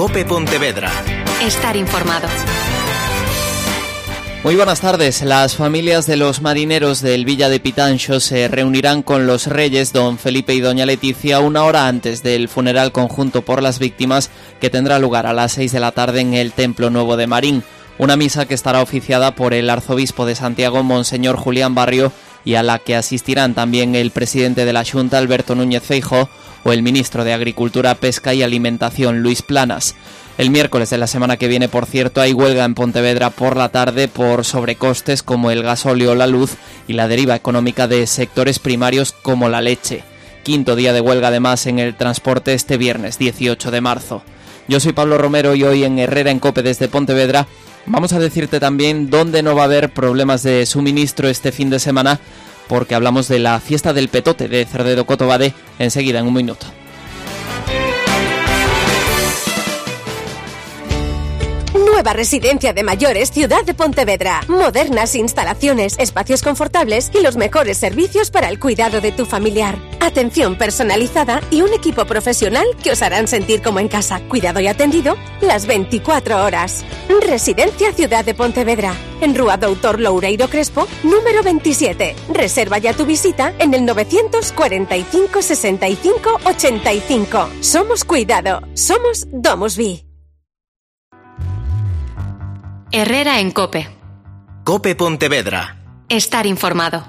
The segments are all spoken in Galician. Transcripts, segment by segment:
COPE Pontevedra. Estar informado. Muy buenas tardes. Las familias de los marineros del Villa de Pitanxo se reunirán con los reyes don Felipe y doña Leticia una hora antes del funeral conjunto por las víctimas que tendrá lugar a las 6 de la tarde en el Templo Nuevo de Marín. Una misa que estará oficiada por el arzobispo de Santiago, Monseñor Julián Barrio, y a la que asistirán también el presidente de la Xunta, Alberto Núñez Feijóo, o el ministro de Agricultura, Pesca y Alimentación, Luis Planas. El miércoles de la semana que viene, por cierto, hay huelga en Pontevedra por la tarde por sobrecostes como el gasóleo o la luz y la deriva económica de sectores primarios como la leche. Quinto día de huelga además en el transporte este viernes 18 de marzo. Yo soy Pablo Romero y hoy en Herrera en COPE desde Pontevedra vamos a decirte también dónde no va a haber problemas de suministro este fin de semana, porque hablamos de la fiesta del petote de Cerdedo Cotobade enseguida en un minuto. Nueva residencia de mayores Ciudad de Pontevedra. Modernas instalaciones, espacios confortables y los mejores servicios para el cuidado de tu familiar. Atención personalizada y un equipo profesional que os harán sentir como en casa, cuidado y atendido las 24 horas. Residencia Ciudad de Pontevedra, en Rúa Doutor Loureiro Crespo, número 27. Reserva ya tu visita en el 945 65 85. Somos cuidado, somos DomusVi. Herrera en COPE. COPE Pontevedra. Estar informado.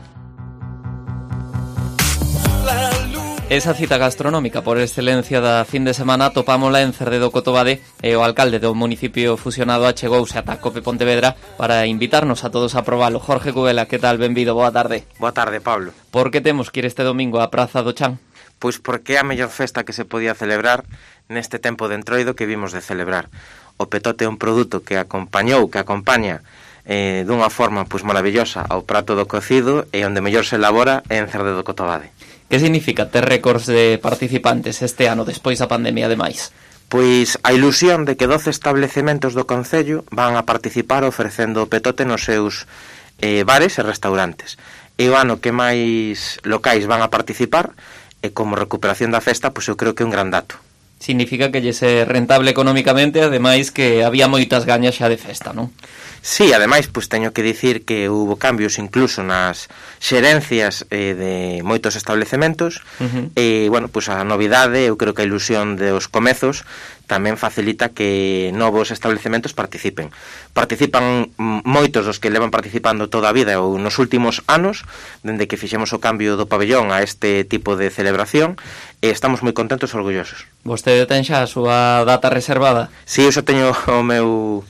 Esa cita gastronómica por excelencia da fin de semana topámola en Cerdedo Cotobade e o alcalde do municipio fusionado achegouse ata COPE Pontevedra para invitarnos a todos a probalo. Jorge Cubela, que tal? Benvido, boa tarde. Boa tarde, Pablo. Por que temos que ir este domingo á Praza do Chan? Pois porque é a mellor festa que se podía celebrar neste tempo de entroido que vimos de celebrar. O petote é un produto que acompaña dunha forma pois maravillosa ao prato do cocido e onde mellor se elabora é en Cerdedo Cotobade. Que significa ter récords de participantes este ano despois da pandemia ademais? Pois a ilusión de que 12 establecementos do concello van a participar ofrecendo o petote nos seus bares e restaurantes. E o ano que máis locais van a participar e como recuperación da festa, pois eu creo que é un gran dato. Significa que lle é rentable económicamente, ademais que había moitas gañas xa de festa, non? Sí, ademais, pois teño que dicir que hubo cambios incluso nas xerencias de moitos establecementos e, bueno, pois a novidade, eu creo que a ilusión dos comezos tamén facilita que novos establecementos participen. Participan moitos dos que levan participando toda a vida ou nos últimos anos, dende que fixemos o cambio do pabellón a este tipo de celebración, e estamos moi contentos e orgullosos. Vostede ten xa a súa data reservada? Sí, eu xa teño o meu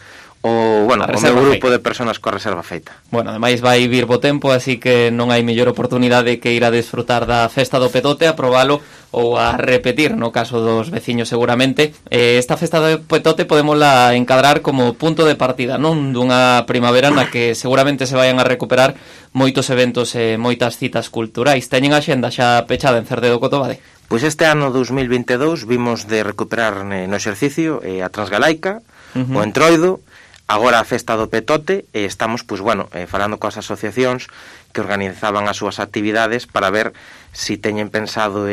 grupo de persoas coa reserva feita. Bueno, ademais vai vir bo tempo, así que non hai mellor oportunidade que ir a desfrutar da festa do petote, a probalo ou a repetir, no caso dos veciños seguramente. Esta festa do petote podémosla encadrar como punto de partida, non? Dunha primavera na que seguramente se vayan a recuperar moitos eventos e moitas citas culturais. Teñen a xenda xa pechada en Cerdedo Cotobade? Pois este ano 2022 vimos de recuperar no exercicio a Transgalaica, o Entroido, agora a festa do petote, e estamos, falando coas asociacións que organizaban as súas actividades para ver si teñen pensado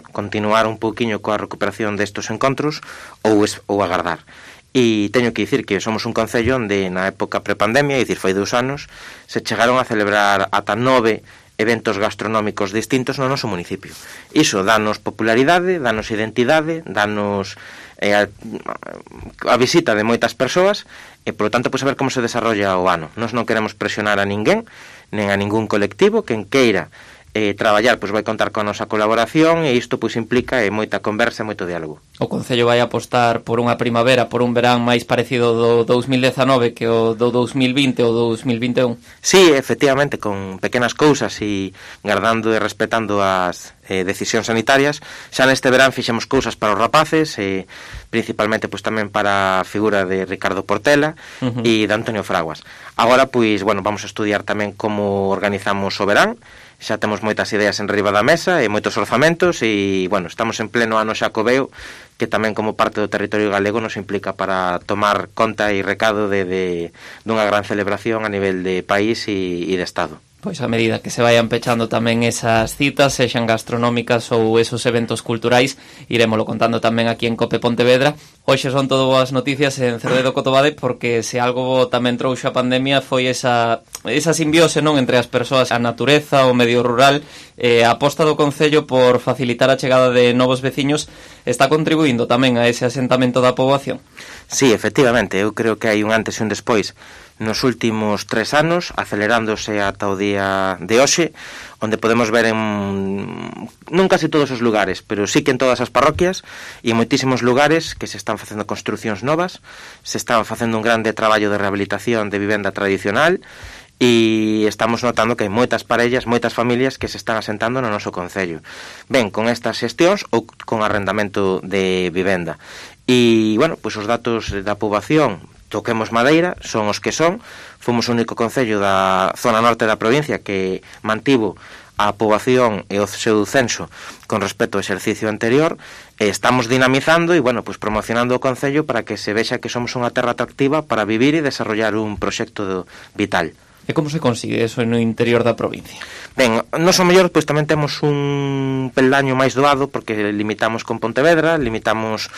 continuar un pouquiño coa recuperación destos encontros ou agardar. E teño que dicir que somos un concello onde na época prepandemia, foi 2 anos, se chegaron a celebrar ata 9 eventos gastronómicos distintos no noso municipio. Iso danos popularidade, danos identidade, danos a visita de moitas persoas e, polo tanto, a ver como se desarrolla o ano. Nós non queremos presionar a ninguén, nen a ningún colectivo. Quen queira traballar, vai contar con a nosa colaboración e isto implica moita conversa e moito diálogo. O Concello vai apostar por unha primavera, por un verán máis parecido do 2019 que o do 2020 ou do 2021? Sí, efectivamente, con pequenas cousas e guardando e respetando as decisións sanitarias. Xa neste verán fixemos cousas para os rapaces e principalmente tamén para a figura de Ricardo Portela e de Antonio Fraguas. Agora, vamos a estudiar tamén como organizamos o verán. Xa temos moitas ideas en riba da mesa e moitos orzamentos e, estamos en pleno ano xacobeo que tamén como parte do territorio galego nos implica para tomar conta e recado dunha gran celebración a nivel de país e de Estado. Pois a medida que se vayan pechando tamén esas citas, sexan gastronómicas ou esos eventos culturais, irémolo contando tamén aquí en Cope Pontevedra. Hoxe son todo boas noticias en Cerdedo Cotobade, porque se algo tamén trouxo a pandemia foi esa simbiose, non, entre as persoas, a natureza, o medio rural. A aposta do Concello por facilitar a chegada de novos veciños está contribuindo tamén a ese asentamento da poboación. Sí, efectivamente, eu creo que hai un antes e un despois nos últimos 3 anos, acelerándose ata o día de hoxe, onde podemos ver non casi todos os lugares, pero sí que en todas as parroquias e en moitísimos lugares que se están facendo construcións novas, se están facendo un grande traballo de rehabilitación de vivenda tradicional, e estamos notando que hai moitas parellas, moitas familias que se están asentando no noso concello. Ben, con estas xestións ou con arrendamento de vivenda. E, bueno, pois os datos da poboación, toquemos madeira, son os que son. Fomos o único concello da zona norte da provincia que mantivo a poboación e o seu censo con respecto ao exercicio anterior. Estamos dinamizando e, bueno, pues promocionando o concello para que se vexa que somos unha terra atractiva para vivir e desarrollar un proxecto vital. E como se consigue eso no interior da provincia? Ben, nos o mellor pois tamén temos un peldaño máis doado, porque limitamos con Pontevedra, limitamos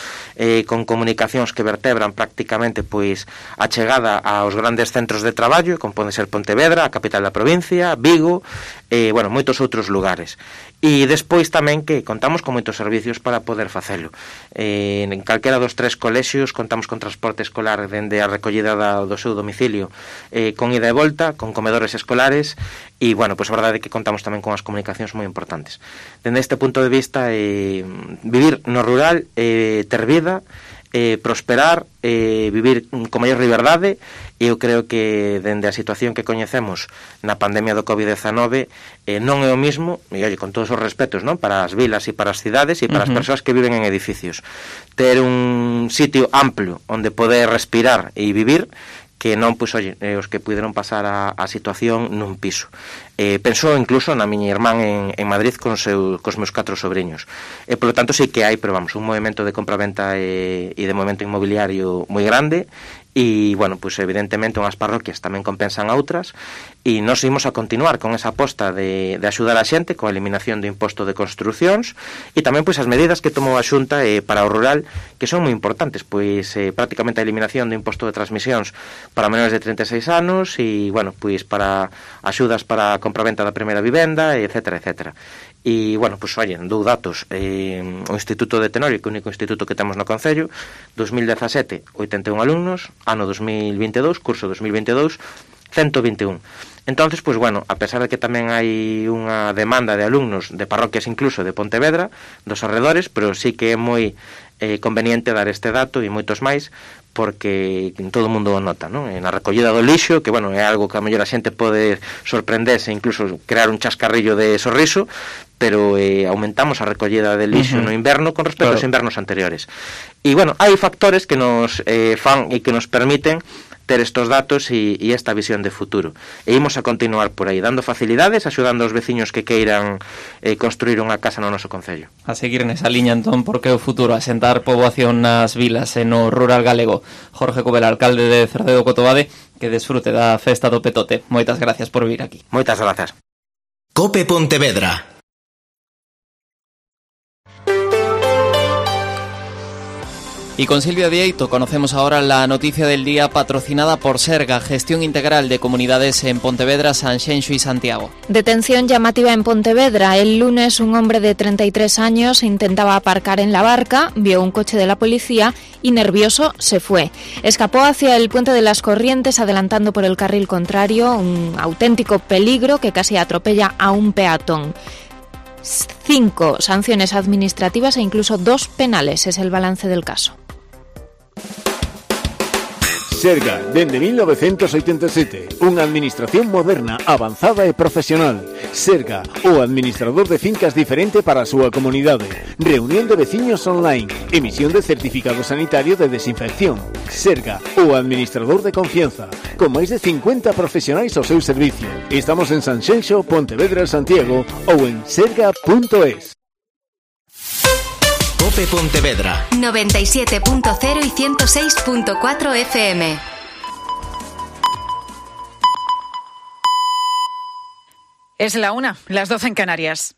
con comunicacións que vertebran prácticamente pois a chegada aos grandes centros de traballo, como pode ser Pontevedra, a capital da provincia, Vigo, bueno, moitos outros lugares. E despois tamén que contamos con moitos servicios para poder facelo. En calquera dos 3 colexios contamos con transporte escolar dende a recollida do seu domicilio, con ida e volta, con comedores escolares, e, bueno, pois a verdade é que contamos tamén con as comunicacións moi importantes. Dende este punto de vista, vivir no rural, ter vida, prosperar, vivir con maior liberdade, e eu creo que dende a situación que coñecemos na pandemia do COVID-19 non é o mismo, e oye, con todos os respetos, non, para as vilas e para as cidades e para as persoas que viven en edificios, ter un sitio amplio onde poder respirar e vivir, que non, pois, oye, os que puderon pasar a situación nun piso. Penso incluso na miña irmán en Madrid cos meus 4 sobriños. Por lo tanto, sí que hai, pero vamos, un movimento de compra-venta e de movimento inmobiliario moi grande, e, bueno, pois evidentemente unhas parroquias tamén compensan a outras, e nós imos a continuar con esa aposta de axudar a xente coa eliminación do imposto de construcións, e tamén pois as medidas que tomou a Xunta para o rural, que son moi importantes, pois prácticamente a eliminación do imposto de transmisións para menores de 36 anos, e, bueno, pois para axudas para a compraventa da primeira vivenda, etcétera, etcétera. E, bueno, pois, oye, dou datos. O Instituto de Tenorio, que é o único instituto que temos no Concello, 2017, 81 alumnos, ano 2022, curso 2022, 121. Entonces, pois, bueno, a pesar de que tamén hai unha demanda de alumnos de parroquias incluso de Pontevedra, dos arredores, pero sí que é moi conveniente dar este dato e moitos máis, porque todo o mundo o nota, non? Na recollida do lixo, que, bueno, é algo que a mellor a xente pode sorprenderse, incluso crear un chascarrillo de sorriso, pero aumentamos a recollida de lixo no inverno con respecto aos invernos anteriores. E, bueno, hai factores que nos fan e que nos permiten ter estos datos e esta visión de futuro. E imos a continuar por aí, dando facilidades, axudando aos veciños que queiran construir unha casa no noso concello. A seguir nesa liña, entón, porque o futuro, asentar poboación nas vilas e no rural galego. Jorge Covela, alcalde de Cerdedo Cotobade, que desfrute da festa do Petote. Moitas gracias por vir aquí. Moitas grazas. Cope Pontevedra. Y con Silvia Dieito conocemos ahora la noticia del día patrocinada por Serga, Gestión Integral de Comunidades en Pontevedra, Sanxenxo y Santiago. Detención llamativa en Pontevedra. El lunes un hombre de 33 años intentaba aparcar en la barca, vio un coche de la policía y nervioso se fue. Escapó hacia el puente de las Corrientes adelantando por el carril contrario, un auténtico peligro que casi atropella a un peatón. 5 sanciones administrativas e incluso 2 penales es el balance del caso. Serga, dende 1987, unha administración moderna, avanzada e profesional. Serga, o administrador de fincas diferente para a súa comunidade. Reunión de veciños online, emisión de certificado sanitario de desinfección. Serga, o administrador de confianza, con máis de 50 profesionais ao seu servicio. Estamos en Sanxenxo, Pontevedra, Santiago ou en serga.es. Cope Pontevedra 97.0 y 106.4 FM. Es la 1, las 12 en Canarias.